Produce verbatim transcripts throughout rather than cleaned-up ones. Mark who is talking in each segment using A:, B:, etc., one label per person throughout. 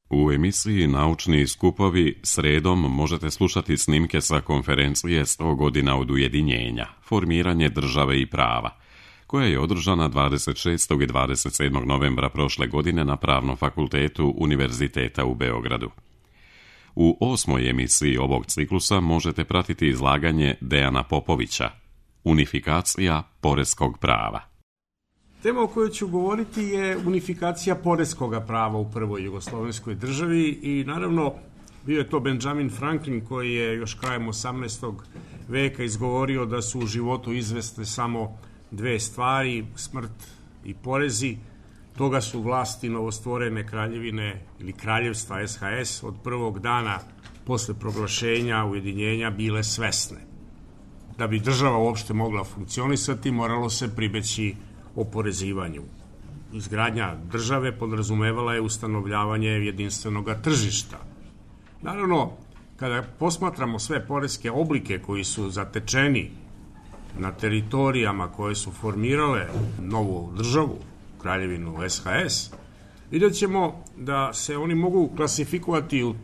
A: U emisiji Naučni skupovi sredom možete slušati snimke sa konferencije sto godina od ujedinjenja, formiranje države i prava, koja je održana dvadeset šestog i dvadeset sedmog novembra prošle godine na Pravnom fakultetu Univerziteta u Beogradu. U osmoj emisiji ovog ciklusa možete pratiti izlaganje Dejana Popovića, Unifikacija poreskog prava.
B: Tema o kojoj ću govoriti je unifikacija poreskog prava u prvoj jugoslovenskoj državi i naravno bio je to Benjamin Franklin koji je još krajem osamnaestog veka izgovorio da su u životu izvesne samo dve stvari, smrt i porezi. Toga su vlasti novostvorene kraljevine ili kraljevstva S H S od prvog dana posle proglašenja ujedinjenja bile svesne. Da bi država uopšte mogla funkcionisati, moralo se pribeći oporezivanju. Izgradnja države podrazumevala je ustanovljavanje jedinstvenog tržišta. Naravno, kada posmatramo sve poreske oblike koji su zatečeni na teritorijama koje su formirale novu državu, kraljevinu S H S, vidjet ćemo da se oni mogu klasifikovati u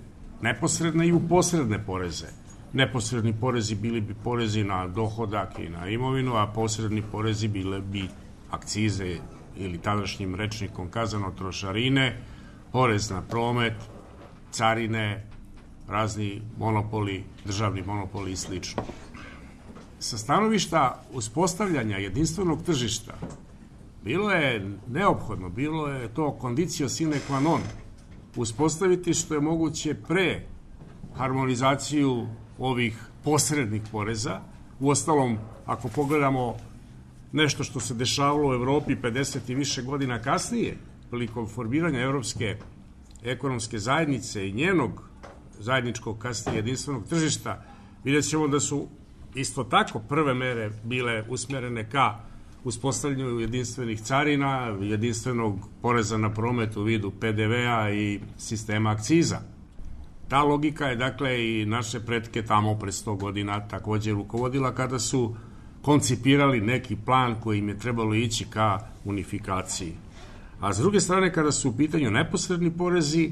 B: neposredne i u posredne poreze. Neposredni porezi bili bi porezi na dohodak i na imovinu, a posredni porezi bile bi akcize ili tadašnjim rečnikom kazano trošarine, porez na promet, carine, razni monopoli, državni monopoli i sl. Sa stanovišta uspostavljanja jedinstvenog tržišta bilo je neophodno, bilo je to condicio sine qua non, uspostaviti što je moguće pre harmonizaciju ovih posrednih poreza. Uostalom, ako pogledamo nešto što se dešavalo u Evropi pedeset i više godina kasnije, prilikom formiranja Evropske ekonomske zajednice i njenog zajedničkog kasnije jedinstvenog tržišta, vidjet ćemo da su isto tako prve mere bile usmerene ka uspostavljanju jedinstvenih carina, jedinstvenog poreza na promet u vidu P D V-a i sistema akciza. Ta logika je dakle i naše pretke tamo pre sto godina takođe rukovodila kada su koncipirali neki plan koji im je trebalo ići ka unifikaciji. A s druge strane, kada su u pitanju neposredni porezi,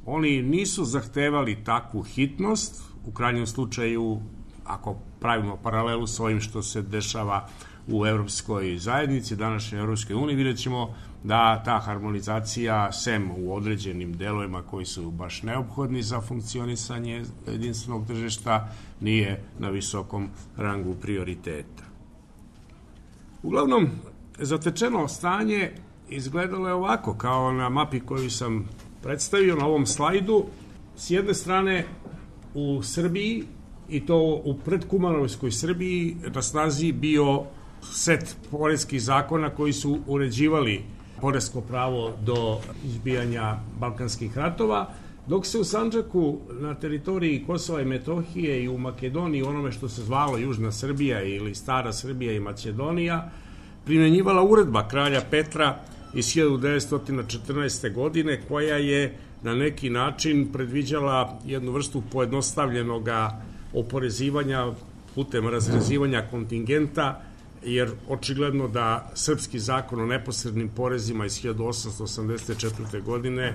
B: oni nisu zahtevali takvu hitnost, u krajnjem slučaju, ako pravimo paralelu s ovim što se dešava u Evropskoj zajednici, današnjoj Evropskoj uniji, vidjet ćemo da ta harmonizacija, sem u određenim delovima koji su baš neophodni za funkcionisanje jedinstvenog tržišta, nije na visokom rangu prioriteta. Uglavnom, zatečeno stanje izgledalo je ovako, kao na mapi koju sam predstavio na ovom slajdu. S jedne strane, u Srbiji, i to u predkumanovskoj Srbiji, na snazi bio set poreskih zakona koji su uređivali poresko pravo do izbijanja Balkanskih ratova, dok se u Sandžaku, na teritoriji Kosova i Metohije i u Makedoniji, onome što se zvalo Južna Srbija ili Stara Srbija i Makedonija, primenjivala uredba kralja Petra iz hiljadu devetsto četrnaeste. godine, koja je na neki način predviđala jednu vrstu pojednostavljenog oporezivanja putem razrezivanja kontingenta, jer očigledno da srpski zakon o neposrednim porezima iz hiljadu osamsto osamdeset četvrte. godine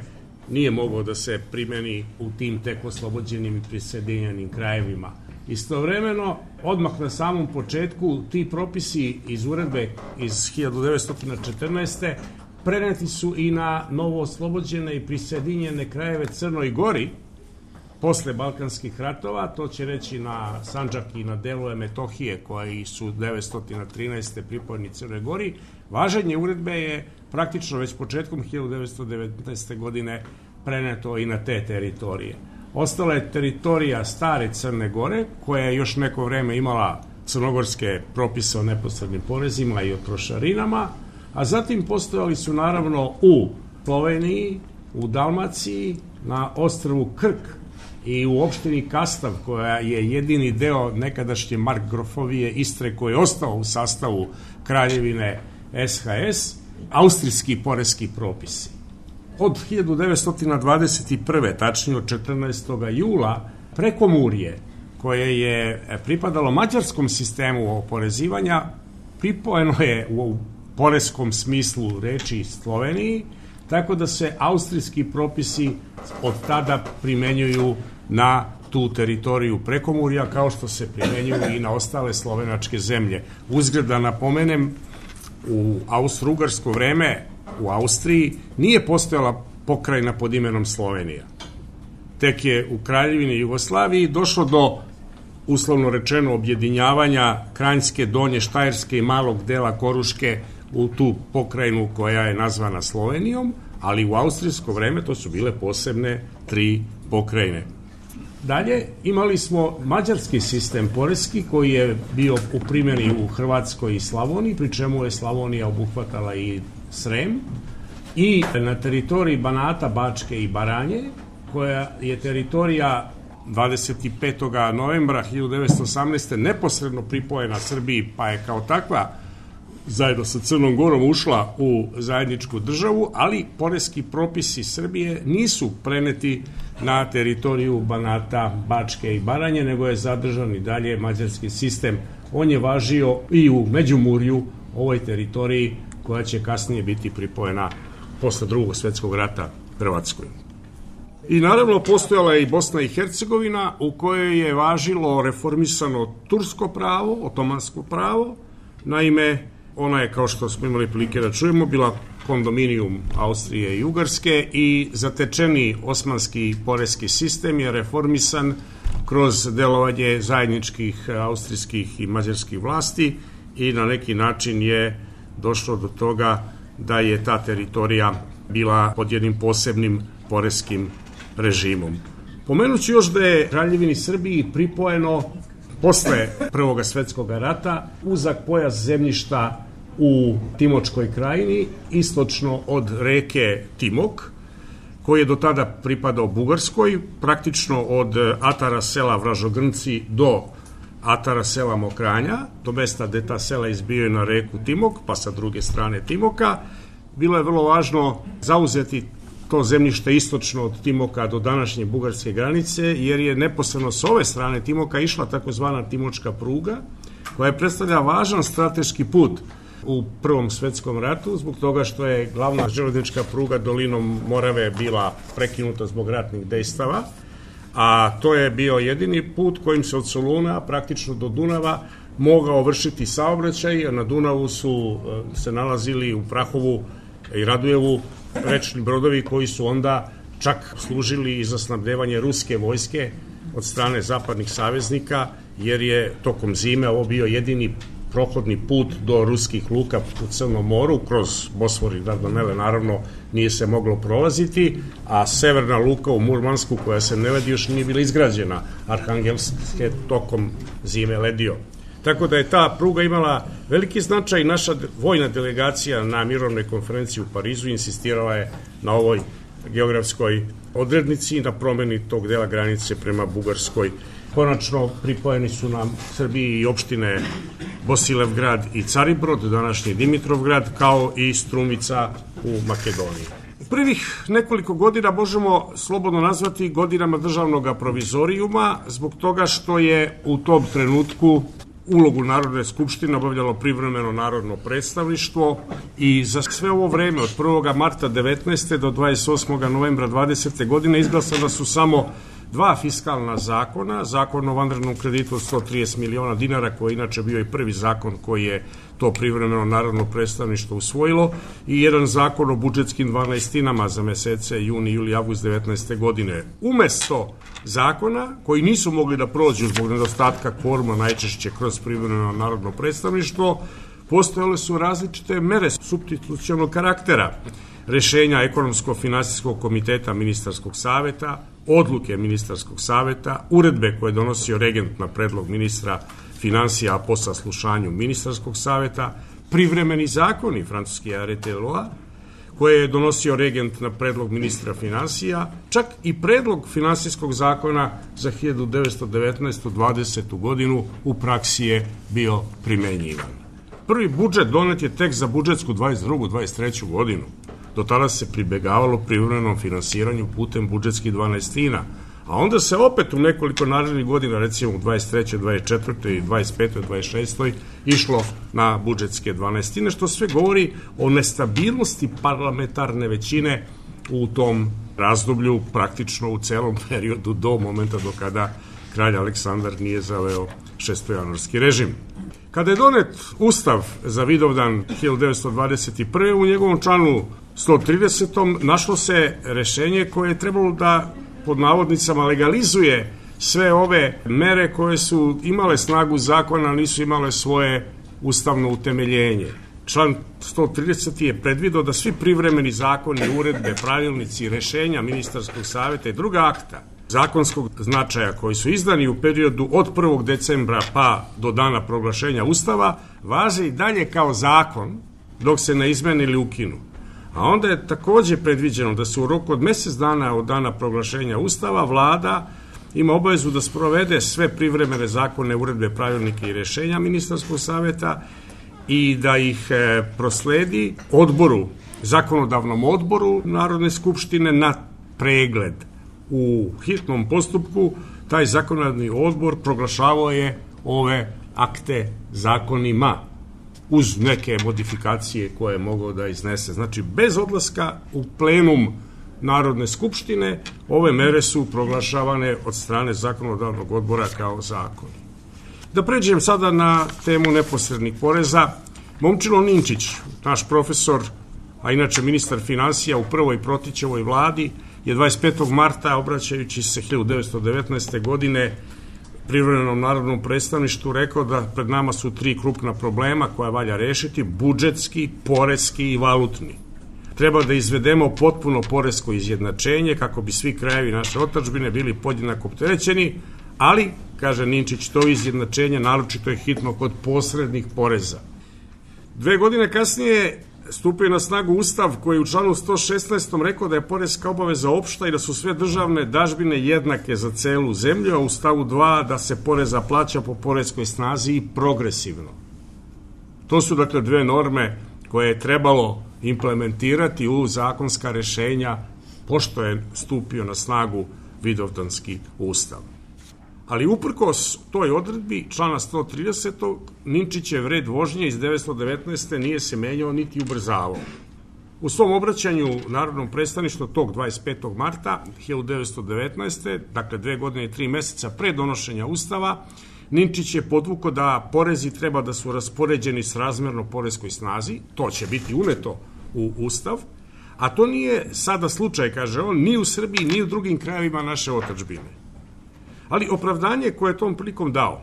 B: nije mogao da se primeni u tim tek oslobođenim i prisjedinjenim krajevima. Istovremeno, odmah na samom početku, ti propisi iz uredbe iz hiljadu devetsto četrnaeste. preneti su i na novo oslobođene i prisjedinjene krajeve Crnoj Gori posle Balkanskih ratova, to će reći na Sandžak i na delove Metohije koji su devetsto trinaeste. pripojeni Crnoj Gori. Važenje uredbe je praktično već početkom hiljadu devetsto devetnaeste. godine preneto i na te teritorije. Ostala je teritorija stare Crne Gore, koja je još neko vreme imala crnogorske propise o neposrednim porezima i o trošarinama, a zatim postojali su naravno u Sloveniji, u Dalmaciji, na ostrvu Krk i u opštini Kastav, koja je jedini deo nekadašnje Markgrofovije Istre koji je ostao u sastavu kraljevine S H S, austrijski poreski propisi. Od hiljadu devetsto dvadeset prve. tačnije od četrnaestog jula, Prekomurje, koje je pripadalo mađarskom sistemu oporezivanja, pripojeno je u poreskom smislu reči Sloveniji, tako da se austrijski propisi od tada primenjuju na tu teritoriju Prekomurja, kao što se primenjuju i na ostale slovenačke zemlje. Uzgred da napomenem, u austro-ugarsko vreme u Austriji nije postojala pokrajina pod imenom Slovenija. Tek je u Kraljevini Jugoslaviji došlo do, uslovno rečeno, objedinjavanja Kranjske, Donje, Štajerske i malog dela Koruške u tu pokrajinu koja je nazvana Slovenijom, ali u austrijsko vreme to su bile posebne tri pokrajine. Dalje imali smo mađarski sistem poreski koji je bio u primjeni u Hrvatskoj i Slavoniji, pri čemu je Slavonija obuhvatala i Srem, i na teritoriji Banata, Bačke i Baranje, koja je teritorija dvadeset petog novembra hiljadu devetsto osamnaeste. neposredno pripojena Srbiji, pa je kao takva zajedno sa Crnom Gorom ušla u zajedničku državu, ali poreski propisi Srbije nisu preneti na teritoriju Banata, Bačke i Baranje, nego je zadržan i dalje mađarski sistem. On je važio i u Međimurju, ovoj teritoriji koja će kasnije biti pripojena posle Drugog svjetskog rata Hrvatskoj. I naravno postojala je i Bosna i Hercegovina, u kojoj je važilo reformisano tursko pravo, otomansko pravo. Naime, ona je, kao što smo imali prilike da čujemo, bila kondominijum Austrije i Ugarske i zatečeni osmanski poreski sistem je reformisan kroz delovanje zajedničkih austrijskih i mađarskih vlasti i na neki način je došlo do toga da je ta teritorija bila pod jednim posebnim poreskim režimom. Pomenuću još da je Kraljevini Srbiji pripojeno posle Prvog svjetskog rata uzak pojas zemljišta u Timočkoj krajini, istočno od reke Timok, koji je do tada pripadao Bugarskoj, praktično od atara sela Vražogrnci do atara sela Mokranja, do mesta gde ta sela izbijaju na reku Timok, pa sa druge strane Timoka. Bilo je vrlo važno zauzeti to zemljište istočno od Timoka do današnje bugarske granice, jer je neposredno s ove strane Timoka išla takozvana Timočka pruga, koja je predstavlja važan strateški put u Prvom svjetskom ratu, zbog toga što je glavna železnička pruga dolinom Morave bila prekinuta zbog ratnih dejstava, a to je bio jedini put kojim se od Soluna praktično do Dunava mogao vršiti saobraćaj, a na Dunavu su se nalazili u Prahovu i Radujevu rečni brodovi koji su onda čak služili i za snabdevanje ruske vojske od strane zapadnih saveznika, jer je tokom zime ovo bio jedini prohodni put do ruskih luka u Crnom moru, kroz Bosfor i Dardanele naravno nije se moglo prolaziti, a severna luka u Murmansku, koja se ne vedi, još nije bila izgrađena, Arhangelsk je tokom zime ledio. Tako da je ta pruga imala veliki značaj. Naša vojna delegacija na mirovnoj konferenciji u Parizu insistirala je na ovoj geografskoj odrednici i na promeni tog dela granice prema Bugarskoj. Konačno pripojeni su nam Srbiji i opštine Bosilevgrad i Caribrod, današnji Dimitrovgrad, kao i Strumica u Makedoniji. Prvih nekoliko godina možemo slobodno nazvati godinama državnog provizorijuma, zbog toga što je u tom trenutku ulogu Narodne skupštine obavljalo privremeno narodno predstavništvo i za sve ovo vreme od prvog marta devetnaeste do dvadeset osmog novembra dvadesete godine izglasana su samo dva fiskalna zakona, zakon o vanrednom kreditu od sto trideset miliona dinara, koji je inače bio i prvi zakon koji je to privremeno narodno predstavništvo usvojilo, i jedan zakon o budžetskim dvanaestinama za mesece juni, juli, avgust devetnaeste godine. Umesto zakona koji nisu mogli da prođu zbog nedostatka kvoruma, najčešće kroz privremeno narodno predstavništvo, postojale su različite mere supstitucionalnog karaktera, rešenja ekonomsko-finansijskog komiteta ministarskog saveta, odluke ministarskog saveta, uredbe koje je donosio regent na predlog ministra finansija, a po saslušanju ministarskog saveta, privremeni zakoni francuski arrêté loi, koje je donosio regent na predlog ministra finansija, čak i predlog finansijskog zakona za hiljadu devetsto devetnaestu dvadesetu godinu u praksi je bio primenjivan. Prvi budžet donet je tek za budžetsku dvadeset drugu dvadeset treću godinu. Do tada se pribegavalo privremenom finansiranju putem budžetskih dvanaestina, A onda se opet u nekoliko narednih godina, recimo u dvadeset trećoj, dvadeset četvrtoj i dvadeset petoj, dvadeset šestoj išlo na budžetske dvanaestine, što sve govori o nestabilnosti parlamentarne većine u tom razdoblju, praktično u celom periodu do momenta do kada kralj Aleksandar nije zaveo šestojanuarski režim. Kada je donet Ustav za Vidovdan hiljadu devetsto dvadeset prve. u njegovom članu sto tridesetom našlo se rešenje koje je trebalo da pod navodnicama legalizuje sve ove mere koje su imale snagu zakona, nisu imale svoje ustavno utemeljenje. Član sto trideset je predvideo da svi privremeni zakoni, uredbe, pravilnici, rešenja ministarskog saveta i druga akta zakonskog značaja koji su izdani u periodu od prvog decembra pa do dana proglašenja Ustava važe i dalje kao zakon dok se ne izmene ili ukinu. A onda je takođe predviđeno da se u roku od mesec dana od dana proglašenja Ustava vlada ima obavezu da sprovede sve privremene zakone, uredbe, pravilnike i rešenja ministarskog saveta i da ih prosledi odboru, zakonodavnom odboru Narodne skupštine na pregled. U hitnom postupku taj zakonodavni odbor proglašavao je ove akte zakonima uz neke modifikacije koje je mogao da iznese. Znači, bez odlaska u plenum Narodne skupštine, ove mere su proglašavane od strane zakonodavnog odbora kao zakoni. Da pređem sada na temu neposrednih poreza. Momčilo Ninčić, naš profesor, a inače ministar finansija u prvoj Protićevoj vladi, je dvadeset petog marta, obraćajući se hiljadu devetsto devetnaeste. godine privremenom narodnom predstavništvu, rekao da pred nama su tri krupna problema koja valja rešiti: budžetski, poreski i valutni. Treba da izvedemo potpuno poresko izjednačenje kako bi svi krajevi naše otadžbine bili podjednako opterećeni, ali, kaže Ninčić, to izjednačenje naročito je hitno kod posrednih poreza. Dve godine kasnije stupio na snagu Ustav koji u članu sto šesnaestom rekao da je poreska obaveza opšta i da su sve državne dažbine jednake za celu zemlju, a u stavu dva da se poreza plaća po poreskoj snazi i progresivno. To su dakle dve norme koje je trebalo implementirati u zakonska rešenja pošto je stupio na snagu Vidovdanski ustav. Ali uprkos toj odredbi člana sto tridesetog. Ninčićev red vožnje iz devetsto devetnaeste. nije se menjao niti ubrzavao. U svom obraćanju Narodnom predstavništvu tog dvadeset petog marta hiljadu devetsto devetnaeste. dakle dve godine i tri meseca pre donošenja Ustava, Ninčić je podvukao da porezi treba da su raspoređeni srazmerno poreskoj snazi, to će biti uneto u Ustav, a to nije sada slučaj, kaže on, ni u Srbiji, ni u drugim krajevima naše otadžbine. Ali opravdanje koje je tom prilikom dao,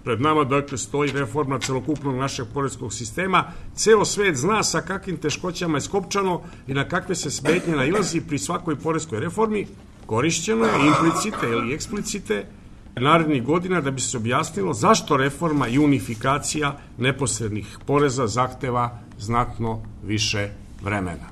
B: pred nama dakle stoji reforma celokupnog našeg poreskog sistema, ceo svet zna sa kakvim teškoćama je skopčano i na kakve se smetnje nailazi pri svakoj poreskoj reformi, korišćeno je implicite ili eksplicite narednih godina da bi se objasnilo zašto reforma i unifikacija neposrednih poreza zahteva znatno više vremena.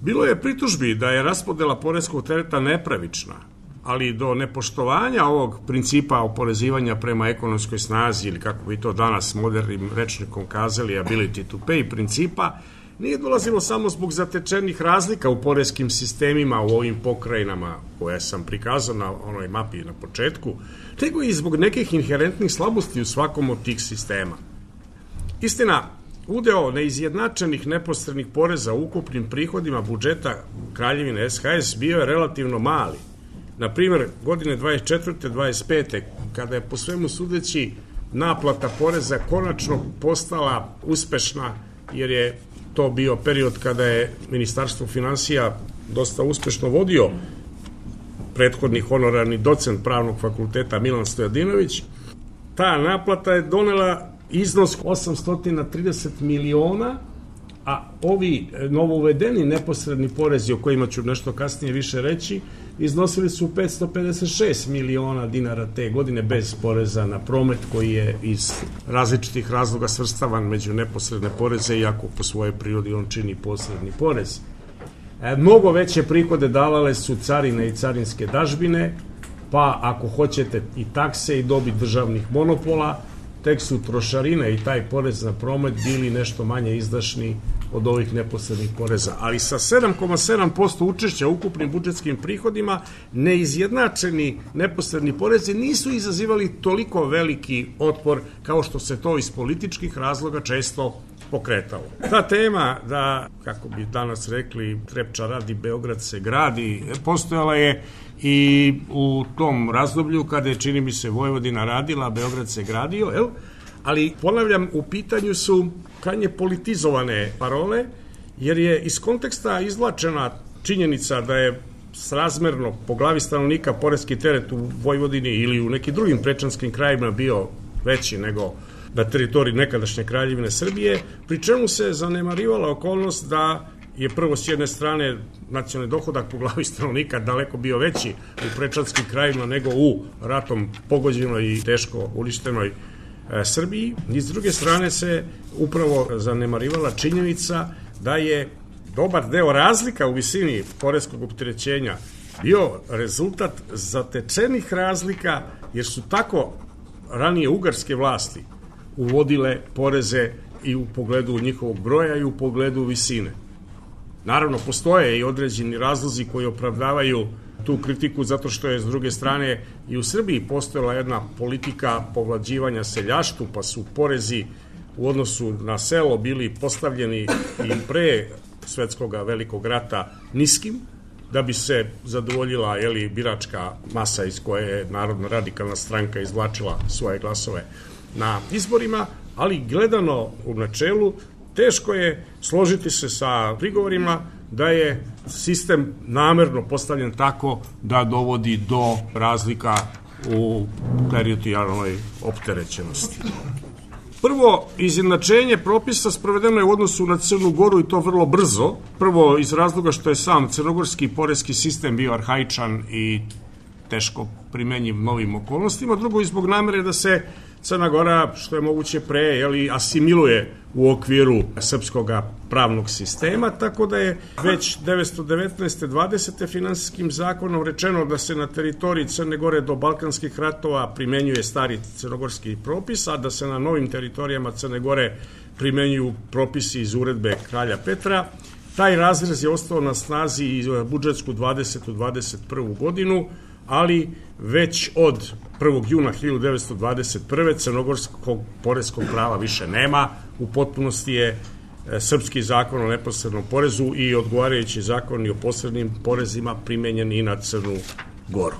B: Bilo je pritužbi da je raspodela poreskog tereta nepravična, ali do nepoštovanja ovog principa oporezivanja prema ekonomskoj snazi, ili kako bi to danas modernim rečnikom kazali, ability to pay principa, nije dolazilo samo zbog zatečenih razlika u poreskim sistemima u ovim pokrajinama koje sam prikazao na onoj mapi na početku, nego i zbog nekih inherentnih slabosti u svakom od tih sistema. Istina, udeo neizjednačenih neposrednih poreza u ukupnim prihodima budžeta Kraljevine S H S bio je relativno mali. Na primjer, godine dvadeset četvrte. dvadeset pete. kada je po svemu sudeći naplata poreza konačno postala uspešna, jer je to bio period kada je Ministarstvo finansija dosta uspešno vodio prethodni honorarni docent Pravnog fakulteta Milan Stojadinović, ta naplata je donela iznos osamsto trideset miliona, a ovi novouvedeni neposredni porezi, o kojima ću nešto kasnije više reći, iznosili su petsto pedeset šest miliona dinara te godine bez poreza na promet, koji je iz različitih razloga svrstavan među neposredne poreze, iako po svojoj prirodi on čini posredni porez. E, mnogo veće prihode davale su carine i carinske dažbine, pa ako hoćete i takse i dobit državnih monopola, tek su trošarine i taj porez na promet bili nešto manje izdašni od ovih neposrednih poreza. Ali sa sedam zarez sedam posto učešća u ukupnim budžetskim prihodima neizjednačeni neposredni porezi nisu izazivali toliko veliki otpor kao što se to iz političkih razloga često pokretalo. Ta tema da, kako bi danas rekli, Trepča radi, Beograd se gradi, postojala je i u tom razdoblju kada je, čini mi se, Vojvodina radila, Beograd se gradio, jel? Ali, ponavljam, u pitanju su krajnje politizovane parole, jer je iz konteksta izvlačena činjenica da je srazmerno po glavi stanovnika poreski teret u Vojvodini ili u nekim drugim prečanskim krajima bio veći nego na teritoriji nekadašnje Kraljevine Srbije, pri čemu se zanemarivala okolnost da je prvo s jedne strane nacionalni dohodak po glavi stanovnika daleko bio veći u prečanskim krajima nego u ratom pogođenoj i teško uništenoj e, Srbiji. I s druge strane se upravo zanemarivala činjenica da je dobar deo razlika u visini poreskog opterećenja bio rezultat zatečenih razlika, jer su tako ranije ugarske vlasti uvodile poreze i u pogledu njihovog broja i u pogledu visine. Naravno, postoje i određeni razlozi koji opravdavaju tu kritiku, zato što je s druge strane i u Srbiji postojala jedna politika povlađivanja seljaštvu, pa su porezi u odnosu na selo bili postavljeni i pre svetskog velikog rata niskim, da bi se zadovoljila jeli, biračka masa iz koje je Narodna radikalna stranka izvlačila svoje glasove na izborima, ali gledano u načelu teško je složiti se sa prigovorima da je sistem namerno postavljen tako da dovodi do razlika u teritorijalnoj opterećenosti. Prvo, izjednačenje propisa sprovedeno je u odnosu na Crnu Goru i to vrlo brzo. Prvo, iz razloga što je sam crnogorski poreski sistem bio arhaičan i teško primenjiv novim okolnostima. Drugo, i zbog namere da se Crna Gora, što je moguće pre, jeli, asimiluje u okviru srpskog pravnog sistema, tako da je već devetsto devetnaeste. dvadesete finansijskim zakonom rečeno da se na teritoriji Crne Gore do Balkanskih ratova primenjuje stari crnogorski propis, a da se na novim teritorijama Crne Gore primenjuju propisi iz uredbe kralja Petra. Taj razrez je ostao na snazi i budžetsku dvadesetu dvadeset prvu godinu, ali već od prvog juna hiljadu devetsto dvadeset prve. crnogorskog poreskog prava više nema, u potpunosti je srpski zakon o neposrednom porezu i odgovarajući zakoni o posrednim porezima primenjeni i na Crnu Goru.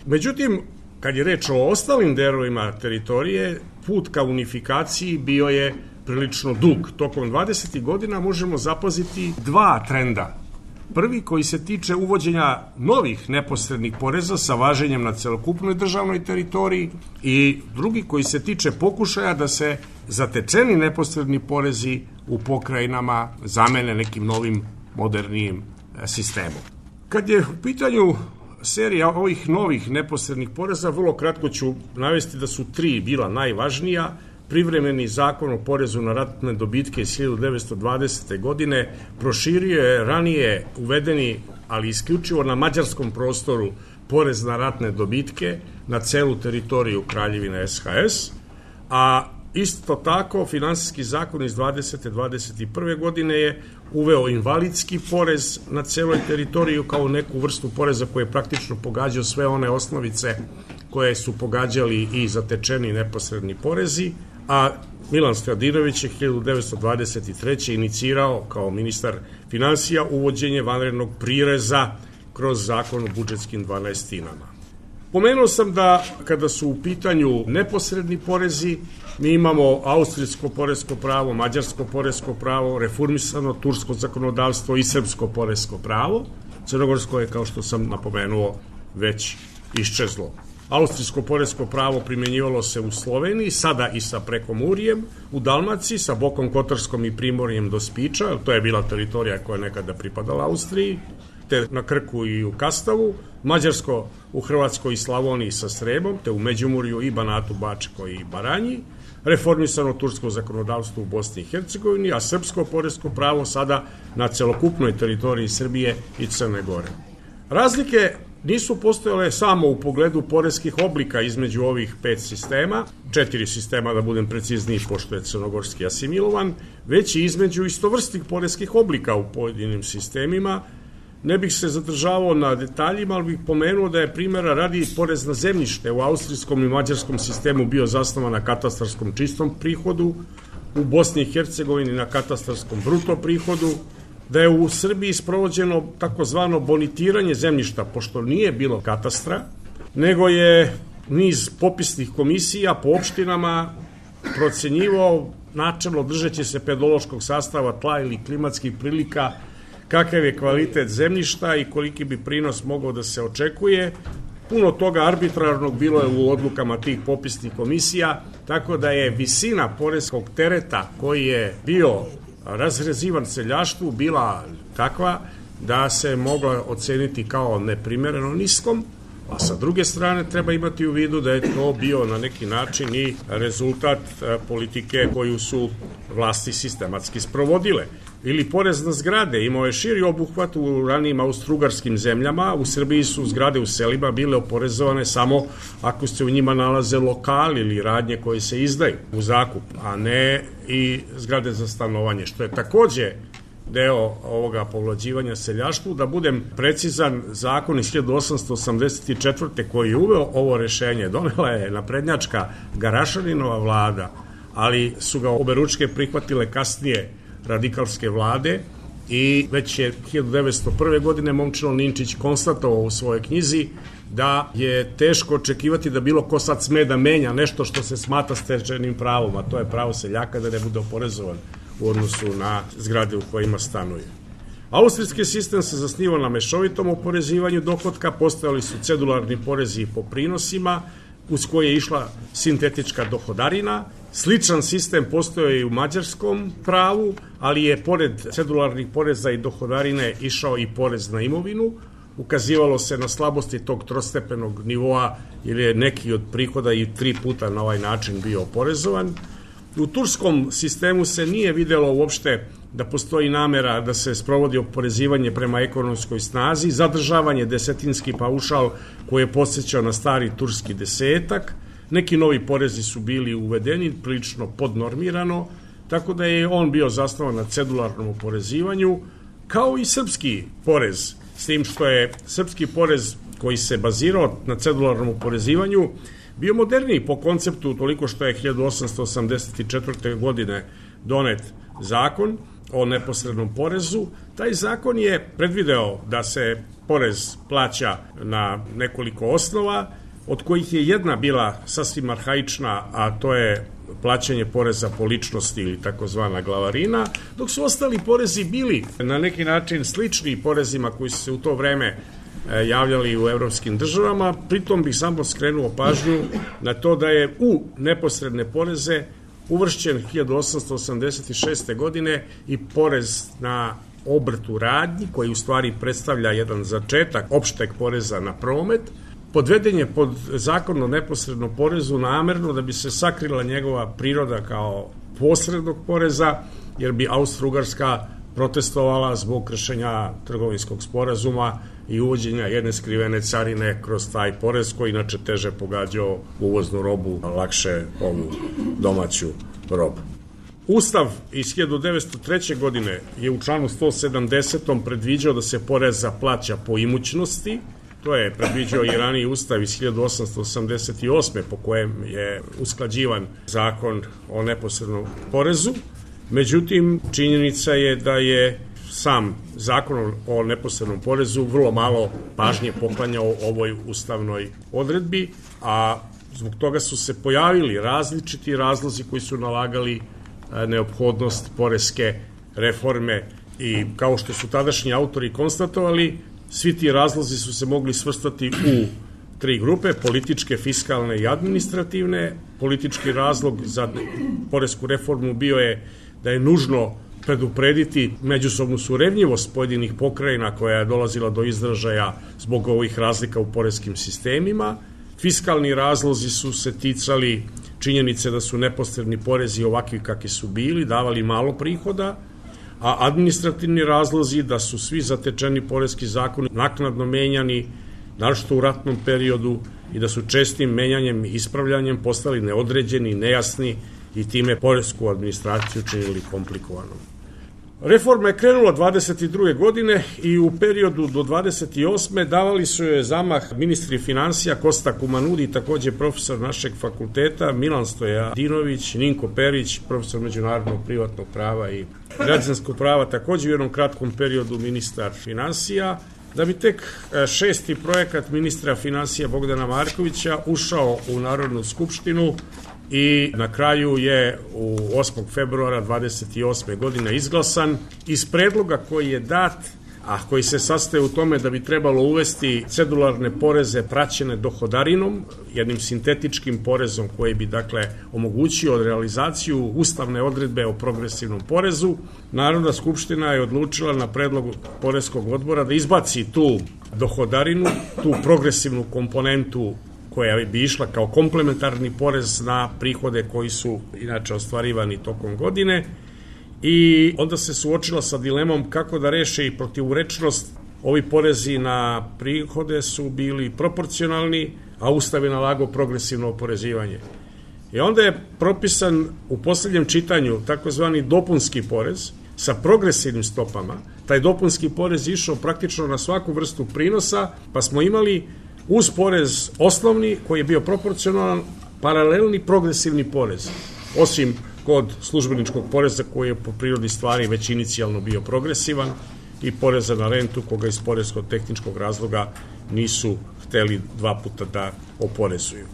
B: Međutim, kad je reč o ostalim delovima teritorije, put ka unifikaciji bio je prilično dug. Tokom dvadesetih godina možemo zapaziti dva trenda. Prvi koji se tiče uvođenja novih neposrednih poreza sa važenjem na celokupnoj državnoj teritoriji i drugi koji se tiče pokušaja da se zatečeni neposredni porezi u pokrajinama zamene nekim novim modernijim sistemom. Kad je u pitanju serija ovih novih neposrednih poreza, vrlo kratko ću navesti da su tri bila najvažnija. Privremeni zakon o porezu na ratne dobitke iz hiljadu devetsto dvadesete. godine proširio je ranije uvedeni, ali isključivo na mađarskom prostoru, porez na ratne dobitke na celu teritoriju Kraljevine S H S, a isto tako finansijski zakon iz dvadesete dvadeset prve. godine je uveo invalidski porez na celoj teritoriju kao neku vrstu poreza koji je praktično pogađao sve one osnovice koje su pogađali i zatečeni neposredni porezi, a Milan Stojadinović je hiljadu devetsto dvadeset treće. inicirao kao ministar finansija uvođenje vanrednog prireza kroz zakon o budžetskim dvanaestinama. Pomenuo sam da kada su u pitanju neposredni porezi, mi imamo austrijsko poresko pravo, mađarsko poresko pravo, reformisano tursko zakonodavstvo i srpsko poresko pravo. Crnogorsko je, kao što sam napomenuo, već iščezlo. Austrijsko poresko pravo primjenjivalo se u Sloveniji, sada i sa Prekomurjem, u Dalmaciji, sa Bokom Kotarskom i Primorjem do Spiča, to je bila teritorija koja je nekada pripadala Austriji, te na Krku i u Kastavu, mađarsko u Hrvatskoj i Slavoniji sa Srebom, te u Međimurju i Banatu, Bačkoj i Baranji, reformisano tursko zakonodavstvo u Bosni i Hercegovini, a srpsko poresko pravo sada na celokupnoj teritoriji Srbije i Crne Gore. Razlike nisu postojale samo u pogledu poreskih oblika između ovih pet sistema, četiri sistema da budem precizniji pošto je crnogorski asimilovan, već i između istovrstnih poreskih oblika u pojedinim sistemima. Ne bih se zadržavao na detaljima, ali bih pomenuo da je primjera radi porez na zemljište u austrijskom i mađarskom sistemu bio zasnovan na katastarskom čistom prihodu, u Bosni i Hercegovini na katastarskom bruto prihodu, da je u Srbiji sprovođeno takozvano bonitiranje zemljišta, pošto nije bilo katastra, nego je niz popisnih komisija po opštinama procenjivao načelno držeći se pedološkog sastava tla ili klimatskih prilika kakav je kvalitet zemljišta i koliki bi prinos mogao da se očekuje. Puno toga arbitrarnog bilo je u odlukama tih popisnih komisija, tako da je visina poreskog tereta koji je bio razrezivan seljaštvu bila takva da se mogla oceniti kao neprimereno niskom, a sa druge strane treba imati u vidu da je to bio na neki način i rezultat politike koju su vlasti sistematski sprovodile. Ili porez na zgrade, imao je širi obuhvat u ranijim austrougarskim zemljama, u Srbiji su zgrade u selima bile oporezovane samo ako se u njima nalaze lokali ili radnje koje se izdaju u zakup, a ne i zgrade za stanovanje, što je takođe deo ovoga povlađivanja seljaštvu. Da budem precizan, zakon iz hiljadu osamsto osamdeset četvrte koji je uveo ovo rešenje, donela je naprednjačka Garašaninova vlada, ali su ga oberučke prihvatile kasnije radikalske vlade i već je hiljadu devetsto prve. godine Momčilo Ninčić konstatovao u svojoj knjizi da je teško očekivati da bilo ko sad sme da menja nešto što se smatra stečenim pravom, a to je pravo seljaka da ne bude oporezovan u odnosu na zgrade u kojima stanuje. Austrijski sistem se zasnivao na mešovitom oporezivanju dohotka, postojali su cedularni porezi po prinosima, uz koje je išla sintetička dohodarina. Sličan sistem postoje i u mađarskom pravu, ali je pored cedularnih poreza i dohodarine išao i porez na imovinu. Ukazivalo se na slabosti tog trostepenog nivoa, jer je neki od prihoda i tri puta na ovaj način bio oporezovan. U turskom sistemu se nije videlo uopšte da postoji namera da se sprovodi oporezivanje prema ekonomskoj snazi, zadržavanje desetinski paušal koji je podsjećao na stari turski desetak, neki novi porezi su bili uvedeni, prilično podnormirano, tako da je on bio zasnovan na cedularnom oporezivanju, kao i srpski porez, s tim što je srpski porez koji se bazirao na cedularnom oporezivanju bio moderniji po konceptu, toliko što je hiljadu osamsto osamdeset četvrte. godine donet zakon o neposrednom porezu. Taj zakon je predvideo da se porez plaća na nekoliko osnova, od kojih je jedna bila sasvim arhaična, a to je plaćanje poreza po ličnosti ili takozvana glavarina, dok su ostali porezi bili na neki način slični porezima koji su se u to vreme javljali u evropskim državama. Pritom bih samo skrenuo pažnju na to da je u neposredne poreze uvršćen hiljadu osamsto osamdeset šeste. godine i porez na obrt u radnji, koji u stvari predstavlja jedan začetak opšteg poreza na promet. Podveden je pod zakon o neposrednom porezu namerno da bi se sakrila njegova priroda kao posrednog poreza, jer bi Austro-Ugarska protestovala zbog kršenja trgovinskog sporazuma i uvođenja jedne skrivene carine kroz taj porez koji inače teže pogađao uvoznu robu, a lakše ovu domaću robu. Ustav iz hiljadu devetsto treće. godine je u članu sto sedamdesetom predviđao da se poreza plaća po imućnosti. To je predviđao i raniji ustav iz hiljadu osamsto osamdeset osme. po kojem je usklađivan zakon o neposrednom porezu. Međutim, činjenica je da je sam zakon o neposrednom porezu vrlo malo pažnje poklanjao ovoj ustavnoj odredbi, a zbog toga su se pojavili različiti razlozi koji su nalagali neophodnost poreske reforme i kao što su tadašnji autori konstatovali, svi ti razlozi su se mogli svrstati u tri grupe, političke, fiskalne i administrativne. Politički razlog za poresku reformu bio je da je nužno preduprediti međusobnu surevnjivost pojedinih pokrajina koja je dolazila do izražaja zbog ovih razlika u poreskim sistemima. Fiskalni razlozi su se ticali činjenice da su neposredni porezi ovakvi kakvi su bili, davali malo prihoda, a administrativni razlozi da su svi zatečeni poreski zakoni naknadno menjani naročito u ratnom periodu, i da su čestim menjanjem i ispravljanjem postali neodređeni, nejasni i time poresku administraciju činili komplikovanom. Reforma je krenula dvadeset druge godine i u periodu do dvadeset osme davali su joj zamah ministri finansija Kosta Kumanudi, takođe profesor našeg fakulteta, Milan Stojadinović, Ninko Perić, profesor međunarodnog privatnog prava i građanskog prava, takođe u jednom kratkom periodu ministar finansija, da bi tek šesti projekat ministra finansija Bogdana Markovića ušao u Narodnu skupštinu i na kraju je u osmog februara dvadeset osme godine izglasan iz predloga koji je dat, a koji se sastoje u tome da bi trebalo uvesti cedularne poreze praćene dohodarinom, jednim sintetičkim porezom koji bi dakle omogućio realizaciju ustavne odredbe o progresivnom porezu. Narodna skupština je odlučila na predlog poreskog odbora da izbaci tu dohodarinu, tu progresivnu komponentu koja bi išla kao komplementarni porez na prihode koji su inače ostvarivani tokom godine, i onda se suočila sa dilemom kako da reše i protivurečnost. Ovi porezi na prihode su bili proporcionalni, a Ustav je nalagao progresivno oporezivanje. I onda je propisan u poslednjem čitanju takozvani dopunski porez sa progresivnim stopama. Taj dopunski porez išao praktično na svaku vrstu prinosa, pa smo imali uz porez osnovni, koji je bio proporcionalan, paralelni progresivni porez, osim kod službeničkog poreza koji je po prirodi stvari već inicijalno bio progresivan, i poreza na rentu koga iz porezko-tehničkog razloga nisu hteli dva puta da oporezuju.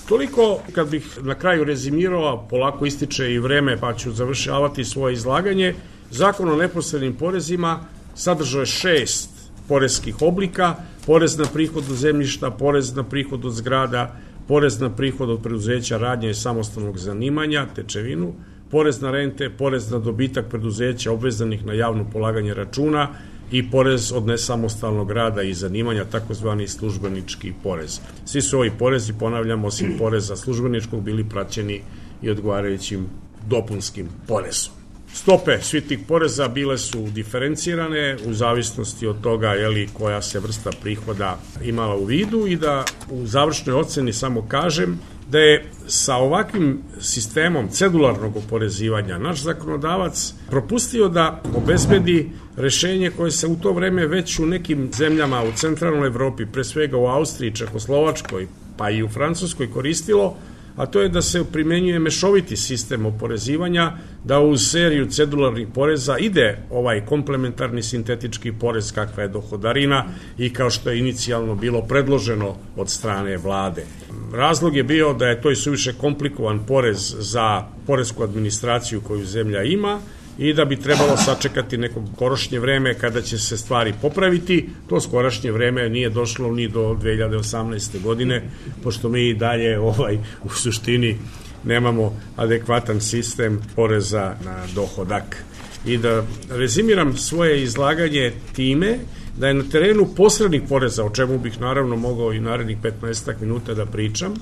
B: Toliko, kad bih na kraju rezimirao, polako ističe i vreme pa ću završavati svoje izlaganje. Zakon o neposrednim porezima sadržao je šest poreskih oblika: porez na prihod od zemljišta, porez na prihod od zgrada, porez na prihod od preduzeća, radnje i samostalnog zanimanja, tečevinu, porez na rente, porez na dobitak preduzeća obvezanih na javno polaganje računa i porez od nesamostalnog rada i zanimanja, takozvani službenički porez. Svi su ovi porezi, ponavljam, osim poreza službeničkog, bili praćeni i odgovarajućim dopunskim porezom. Stope svih tih poreza bile su diferencirane u zavisnosti od toga jeli, koja se vrsta prihoda imala u vidu, i da u završnoj oceni samo kažem da je sa ovakvim sistemom cedularnog oporezivanja naš zakonodavac propustio da obezbedi rešenje koje se u to vreme već u nekim zemljama u centralnoj Evropi, pre svega u Austriji, Čehoslovačkoj, pa i u Francuskoj koristilo, a to je da se primenjuje mešoviti sistem oporezivanja, da uz seriju cedularnih poreza ide ovaj komplementarni sintetički porez kakva je dohodarina i kao što je inicijalno bilo predloženo od strane vlade. Razlog je bio da je to i suviše komplikovan porez za poresku administraciju koju zemlja ima i da bi trebalo sačekati neko skorošnje vreme kada će se stvari popraviti. To skorašnje vreme nije došlo ni do dve hiljade osamnaeste. godine, pošto mi i dalje ovaj, u suštini nemamo adekvatan sistem poreza na dohodak. I da rezimiram svoje izlaganje time da je na terenu posrednih poreza, o čemu bih naravno mogao i narednih petnaestak minuta da pričam,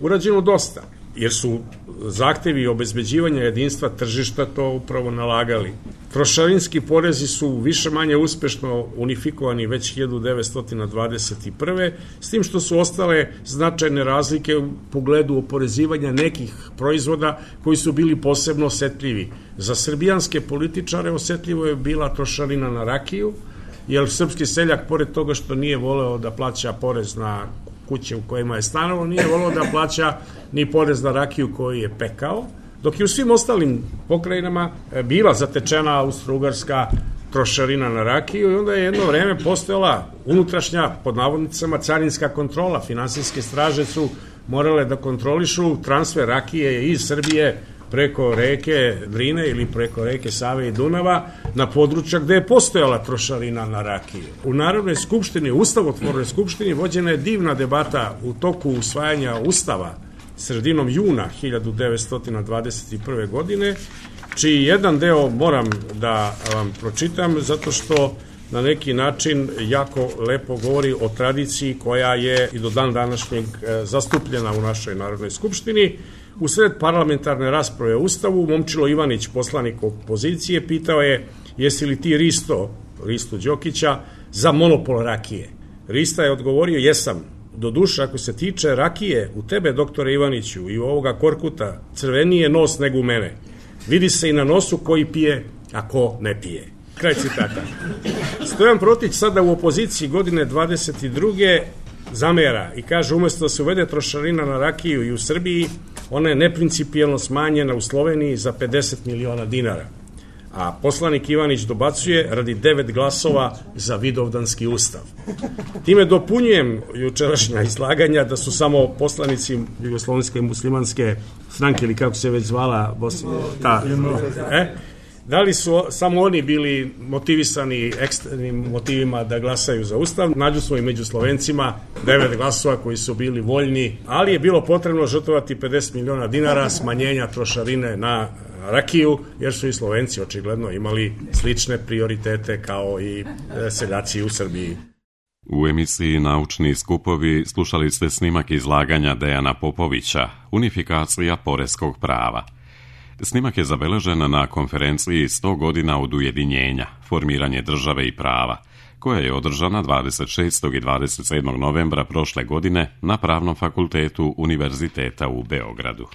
B: urađeno dosta, jer su zahtevi obezbeđivanja jedinstva tržišta to upravo nalagali. Trošarinski porezi su više manje uspešno unifikovani već hiljadu devetsto dvadeset prve. s tim što su ostale značajne razlike u pogledu oporezivanja nekih proizvoda koji su bili posebno osetljivi. Za srbijanske političare osetljivo je bila trošarina na rakiju, jer srpski seljak, pored toga što nije voleo da plaća porez na kuće u kojima je stanovao, nije voleo da plaća ni porez na rakiju koju je pekao, dok je u svim ostalim pokrajinama bila zatečena austro-ugarska trošarina na rakiju, i onda je jedno vreme postojala unutrašnja, pod navodnicama, carinska kontrola. Finansijske straže su morale da kontrolišu transfer rakije iz Srbije preko reke Drine ili preko reke Save i Dunava na područja gde je postojala trošarina na rakiju. U Narodnoj skupštini, Ustavotvornoj skupštini, vođena je divna debata u toku usvajanja Ustava sredinom juna hiljadu devetsto dvadeset prve. godine, čiji jedan deo moram da vam pročitam, zato što na neki način jako lepo govori o tradiciji koja je i do dan današnjeg zastupljena u našoj Narodnoj skupštini. U sred parlamentarne rasprave o Ustavu, Momčilo Ivanić, poslanik opozicije, pitao je: jesi li ti Risto, Risto Đokića, za monopol rakije? Rista je odgovorio, jesam. Doduše, ako se tiče rakije, u tebe, doktore Ivaniću, i u ovoga Korkuta, crveniji je nos nego u mene. Vidi se i na nosu koji pije, a ko ne pije. Kraj citata. Stojan Protić sada u opoziciji godine dvadeset druge zamera i kaže, umjesto da se uvede trošarina na rakiju i u Srbiji, ona je neprincipijelno smanjena u Sloveniji za pedeset miliona dinara. A poslanik Ivanić dobacuje radi devet glasova za Vidovdanski ustav. Time dopunjujem jučerašnja izlaganja da su samo poslanici Jugoslovenske muslimanske stranke, ili kako se već zvala, ta, e, da li su samo oni bili motivisani ekstremnim motivima da glasaju za ustav. Nađu smo i među Slovencima devet glasova koji su bili voljni, ali je bilo potrebno žrtvovati pedeset miliona dinara smanjenja trošarine na rakiju, jer su i Slovenci očigledno imali slične prioritete kao i seljaci u Srbiji.
A: U emisiji Naučni skupovi slušali ste snimak izlaganja Dejana Popovića, Unifikacija poreskog prava. Snimak je zabeležen na konferenciji sto godina od ujedinjenja, formiranje države i prava, koja je održana dvadeset šestog i dvadeset sedmog novembra prošle godine na Pravnom fakultetu Univerziteta u Beogradu.